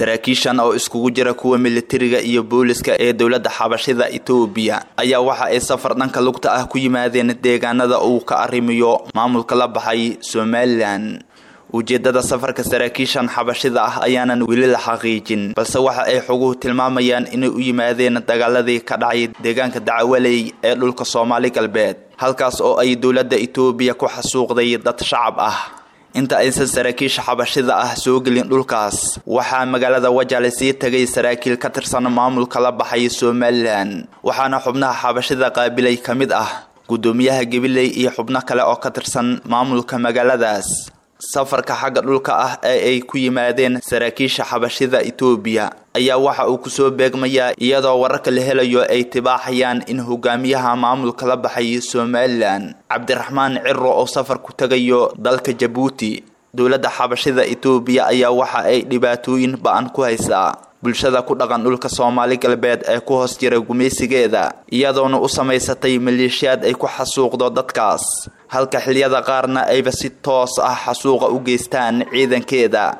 Saraakiishan oo iskugu jira kuwa militariga iyo booliska ee dowladda xabashida Itoobiya ayaa waxa ay safar dhanka lugta ah ku yimaadeen deegaanada uu ka arrimiyo maamulka la baxay Somalilan. Ujeedada safarka saraakiishan xabashida ah ayaanan weli la xaqiijin, balse waxa ay xoguhu tilmaamayaan inay u yimaadeen dagaaladii ka dhacay deegaanka Dacwaley ee dhulka Soomaali Galbeed, halkaas oo ay dowladda Itoobiya ku xasuuqday dad shacab ah. Inta aysan saraakiisha xabashida ah soo gelin dhulkaas, waxaa magaalada Wajaale sii tagay saraakiil ka tirsan maamulka la baxay Somalilan, waxaana xubnaha xabashida qaabilay ka mid ah guddoomiyaha Gabiley iyo xubno kale oo ka tirsan maamulka magaaladaas. Safarka xagga dhulka ah ee ay ku yimaadeen saraakiisha xabashida Itoobiya ayaa waxa uu kusoo beegmayaa iyadoo wararka la helayo ay tibaaxayaan in hogaamiyaha maamulka la baxay Somalilan Cabdiraxmaan Ciro oo safar ku tagayo dalka Jabuuti. Dowladda xabashida Itoobiya ayaa waxa ay dhibaatooyin ba-an ku haysaa bulshada ku dhaqan dhulka Soomaali Galbeed ee ku hoos jira gumaysigeeda, iyadoona u samaysatay maleeshiyaad ay ku xasuuqdo dadkaas, halka xilliyada qaarna ayba si toos ah xasuuqa u geystaan ciidankeeda.